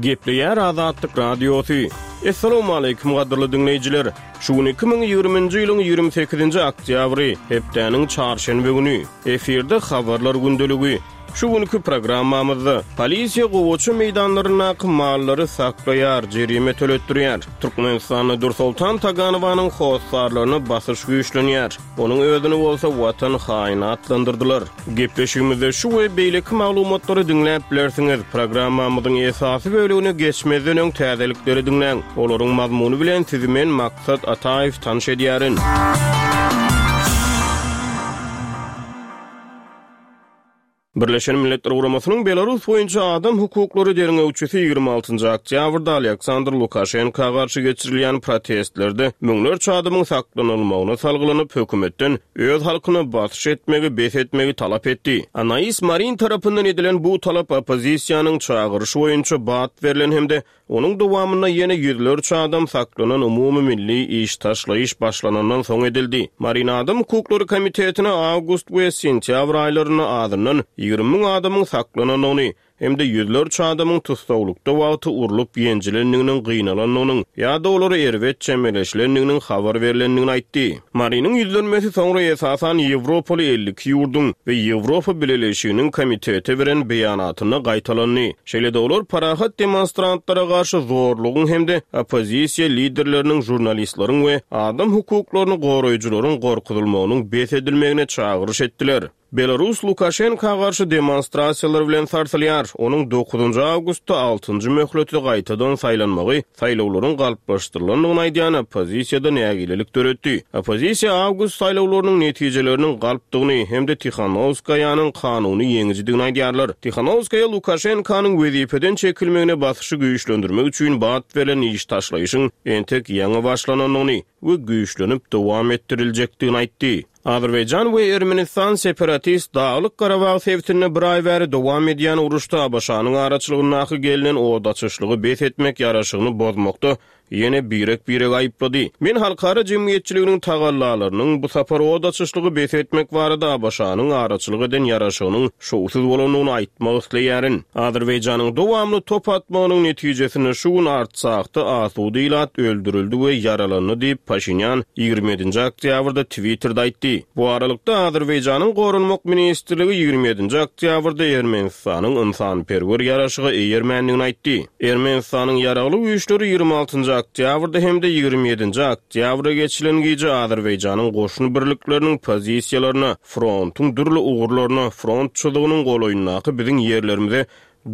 Gepleýär Azatlyk Radiosy. Assalamualaikum gadyrly diňleýjiler. Şu gün 2020-nji ýylyň 28-nji oktýabry, hepdäniň çarşenbe güni. Efirde habarlar gündeligi. Şu günki programmamyzda polisiýa gowaça meýdanlaryndaky mallary saklaýar, jerime töletdirýär. Türkmenistanda Dürsoltan Taganowanyň hossarlaryna basyş güýçlenýär. Onuň özüni bolsa watan haýyny atlandyrdylar. Gepleşigimizde şu we beýleki maglumatlary diňläp bilersiňiz. Programmamyzyň esasy bölegine geçmezden öň täzelikleri diňläň. Olaryň mazmuny bilen sizi men Maksat Ataýew tanyş edýärin. Birleşen Milletler Guramasynyň Belarus boýunça adam hukuklary derňewçisi 26-njy oktýabrda Alýaksandr Lukaşenka garşy geçirilýän protestlerde müňlerçe adamyň saklanylmagyna salgylanyp, hökümetden öz halkyna basyş etmegi bes etmegi talap etdi. Anais Marin tarapyndan edilen bu talap oppozisiýanyň çagyryşy boýunça bat berlen hem-de Onuň dowamynda ýene ýüzlerçe adam saklanan umumy milli iş taşlaýyş başlanandan soň edildi. Marin Adam hukuklary komitetine awgust we sentýabr aýlarynda azyndan 20 müň adamyň saklanandygyny hem-de ýüzlerçe adamyň tussaglykda wagty urlup-ýenjilendiginiň, gynalandygynyň ýa-da olara erbet çemeleşilendiginiň habar berlendigini aýtdy. Mariniň ýüzlenmesi soňra esasan ýewropaly 52 ýurduň we Ýewropa Bileleşiginiň komitete beren beýanatynda gaýtalandy. Şeýle-de olar parahat demonstrantlara garşy zorlugyň hem-de oppozisiýa liderleriniň, žurnalistleriň we adam hukuklaryny goraýjylaryň gorkuzylmagynyň bes edilmegine çagyryş etdiler. Belarus Lukaşenka garşy demonstrasiýalar bilen sarsylýar. Onuň dokuzynjy awgustda altynjy möhlete gaýtadan saýlanmagy saýlawlaryň galplaşdyrylandygyny aýdýan oppozisiýada nägilelik döretdi. Oppozisiýa awgust saýlawlarynyň netijeleriniň galpdygyny hem-de Tihanowskaýanyň kanuny ýeňijidigini aýdýarlar. Tihanowskaýa Lukaşenkanyň wezipeden çekilmegine basyşy güýçlendirmek üçin bat berlen iş taşlaýşyň entek ýaňy başlanandygyny we güýçlenip dowam etdiriljekdigini aýtdy. Azerbaýjan we Ermenistan separatist Daglyk-Garabag sebitinde bir aý bäri dowam edýän uruşda ABŞ-nyň araçylygyndaky gelnen od açyşlygy bes etmek ýaraşygyny bozmakda ýene birek-biregi aýyplady. Men halkara jemgyýetçiliginiň tagallalarynyň bu sapar od açyşlygy bes etmek barada ABŞ-nyň araçylyk eden ýaraşygynyň şowsuz bolandygyny aýtmak isleýärin. Azerbaýjanyň dowamly top atmagynyň netijesinde şu gün Artsahda asuda ilat öldürildi we ýaralandy diýip, Paşinýan 27-nji oktýabrda Twitterde aýtdy. Bu aralykda, Azerbaýjanyň Goranmak ministrligi 27-nji oktýabrda Ermenistanyň ynsanperwer ýaraşyga eýermändigini aýtdy. Ermenistanyň Ýaragly güýçleri 26-njy oktýabrda hem-de 27-nji oktýabra geçilen gije Azerbaýjanyň goşun birlikleriniň pozisiýalaryna, frontuň dürli ugurlaryna, front çyzygynyň golaýyndaky biziň ýerlerimize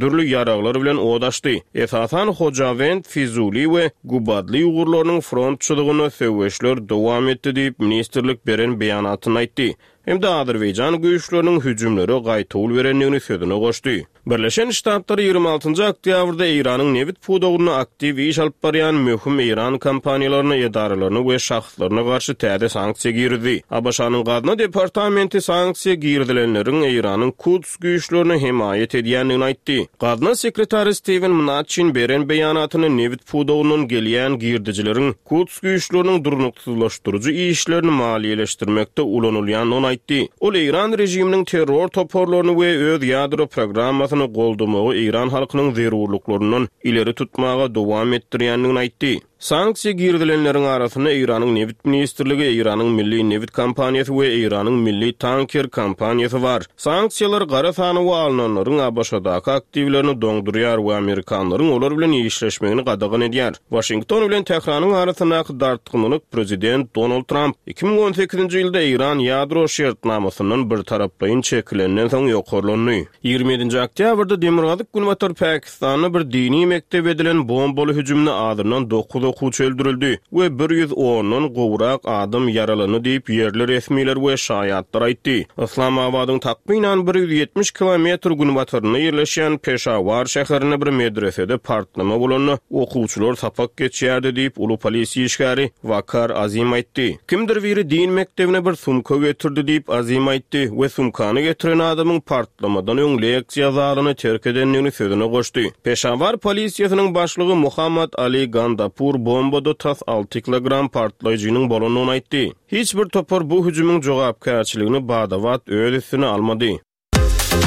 dürli ýaraglar bilen od açdy. Esasan Hojawend, Fizuli we Gubadly ugurlarynyň front çyzygynda söweşler dowam etdi diýip, ministrlik beren beýanatynda aýtdy hem-de azerbaýjan güýçleriniň hüjümlere gaýtawul berendigini sözüne goşdy. Birleşen Ştatlar 26-njy oktýabrda Eýranyň nebit pudagynda aktiw iş alyp barýan möhüm eýran kompaniýalaryna, edaralaryna we şahslaryna garşy täze sanksiýa girizdi. ABŞ-nyň Gazna departamenti sanksiýa girizilenleriň Eýranyň Kuds güýçlerine hemaýat edýändigini aýtdy. Gazna sekretary Stiwen Mnuçin beren beýanatynda nebit pudagyndan gelýän girdejileriň Kuds güýçleriniň durnuksyzlaşdyryjy işlerini maliýeleşdirmekde ulanylýandygyny aýtdy. Ol eýran režiminiň terror toparlaryny we öz ýadro programmasyny goldamagy eýran halkynyň zerurlyklaryndan ileri tutmaga dowam etdirýändigini aýtdy. Sanksiýa girizilenleriň arasynda Eýranyň Nebit ministrligi, Eýranyň Milli nebit kompaniýasy we Eýranyň Milli tanker kompaniýasy bar. Sanksiýalar gara sanawa alnanlaryň ABŞ-daky aktiwlerini doňdurýar we amerikanlaryň olar bilen işleşmegini gadagan edýär. Waşington bilen Tähranyň arasyndaky dartgynlylyk prezident Donald Tramp 2018-nji ýylda Eýran ýadro şertnamasyndan birtaraplaýyn çekilenden soň ýokarlandy. 27-nji oktýabrda demirgazyk-günbatar Pakistanda bir dini mekdebe edilen bombaly hüjümde azyndan dokuz okuwçy öldürildi we bir ýüz ondan gowrak adam ýaralandy diýip, ýerli resmiler we şaýatlar aýtdy. Yslamabadyň takmynan 170 kilometr günbatarynda ýerleşýän Peşawar şäherinde bir medresede partlama bolanda, okuwçylar sapak geçýärdi diýip, uly polisiýa işgäri Wakar Azim aýtdy. Kimdir biri din mekdebine bir sumka getirdi diýip, Azim aýtdy we sumkany getiren adamyň partlamadan öň leksiýa zalyny terk edendigini sözüne goşdy. Peşawar polisiýasynyň başlygy Muhammad Ali Gandapur bombada tas alty kilogram partlaýjynyň bolandygyny aýtdy. Hiç bir topar bu hüjümiň jogapkärçiligini bada-bat öz üstüne almady.